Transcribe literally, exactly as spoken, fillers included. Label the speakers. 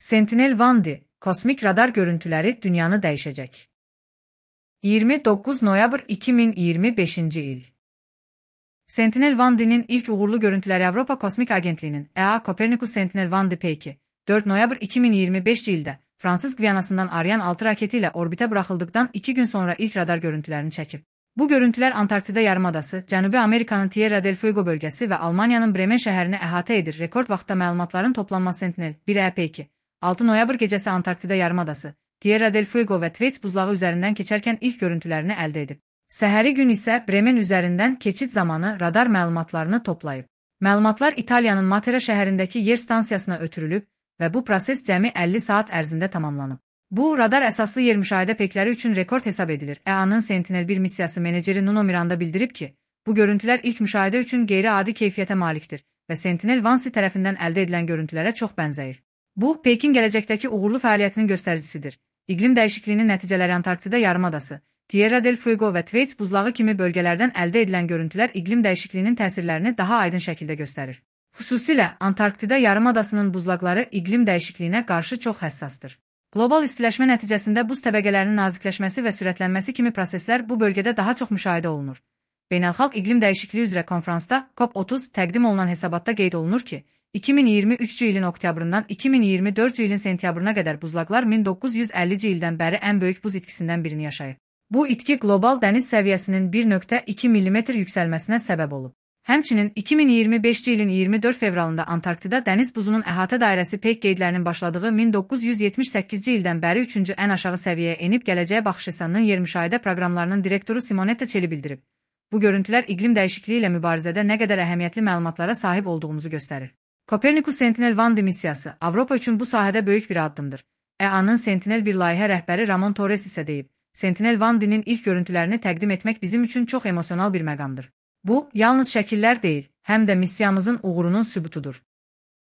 Speaker 1: Sentinel-1D, kosmik radar görüntüləri dünyanı dəyişəcək. iyirmi doqquz noyabr iki min iyirmi beşinci il. Sentinel-1D'nin ilk uğurlu görüntüləri Avropa Kosmik Agentliyinin E A Copernicus Sentinel-1D P iki, dörd noyabr iki min iyirmi beşinci ildə Fransız Gvianasından Ariane altı raketi ilə orbitə buraxıldıqdan iki gün sonra ilk radar görüntülərini çəkib. Bu görüntülər Antarktida yarımadası, Cənubi Amerikanın Tierra del Fuego bölgəsi və Almaniyanın Bremen şəhərini əhatə edir. Rekord vaxtda məlumatların toplanması Sentinel-bir E P iki, altı noyabr gecəsi Antarktida yarımadası, Tierra del Fuego və Thwaites buzlağı üzərindən keçərkən ilk görüntülərini əldə edib. Səhəri gün isə Bremen üzərindən keçid zamanı radar məlumatlarını toplayıb. Məlumatlar İtaliyanın Matera şəhərindəki yer stansiyasına ötürülüb və bu proses cəmi əlli saat ərzində tamamlanıb. Bu, radar əsaslı yer müşahidə pekləri üçün rekord hesab edilir. E A-nın Sentinel-bir missiyası meneceri Nuno Miranda bildirib ki, bu görüntülər ilk müşahidə üçün qeyri-adi keyfiyyətə malikdir və Sentinel-1D tərəfindən əldə edilən görüntülərə çox bənzəyir. Bu, Pekin gələcəkdəki uğurlu fəaliyyətinin göstəricisidir. İqlim dəyişikliyinin nəticələri Antarktida yarımadası, Tierra del Fuego və Thwaites buzlağı kimi bölgələrdən əldə edilən görüntülər iqlim dəyişikliyinin təsirlərini daha aydın şəkildə göstərir. Xüsusilə Antarktida yarımadasının buzlaqları iqlim dəyişikliyinə qarşı çox həssasdır. Qlobal istiləşmə nəticəsində buz təbəqələrinin nazikləşməsi və sürətlənməsi kimi proseslər bu bölgədə daha çox müşahidə olunur. Beynəlxalq İqlim Dəyişikliyi üzrə konfransda COP otuz təqdim olunan hesabatda qeyd olunur ki, iki min iyirmi üçüncü ilin oktyabrından iki min iyirmi dördüncü ilin sentyabrına qədər buzlaqlar min doqquz yüz əllinci ildən bəri ən böyük buz itkisindən birini yaşayıb. Bu itki qlobal dəniz səviyyəsinin bir nöqtə iki millimetr yüksəlməsinə səbəb olub. Həmçinin iki min iyirmi beşinci ilin iyirmi dörd fevralında Antarktida dəniz buzunun əhatə dairəsi peyk qeydlərinin başladığı min doqquz yüz yetmiş səkkizinci ildən bəri üçüncü ən aşağı səviyyəyə enib gələcəyə baxışısanın yer müşahidə proqramlarının direktoru Simonetta Çeli bildirib. Bu görüntülər iqlim dəyişikliyi ilə mübarizədə nə qədər əhəmiyyətli məlumatlara sahib olduğumuzu göstərir. Copernicus Sentinel-1D missiyası Avropa üçün bu sahədə böyük bir addımdır. E A-nın Sentinel-bir layihə rəhbəri Ramon Torres isə deyib, Sentinel-1D'nin ilk görüntülərini təqdim etmək bizim üçün çox emosional bir məqamdır. Bu, yalnız şəkillər deyil, həm də missiyamızın uğurunun sübutudur.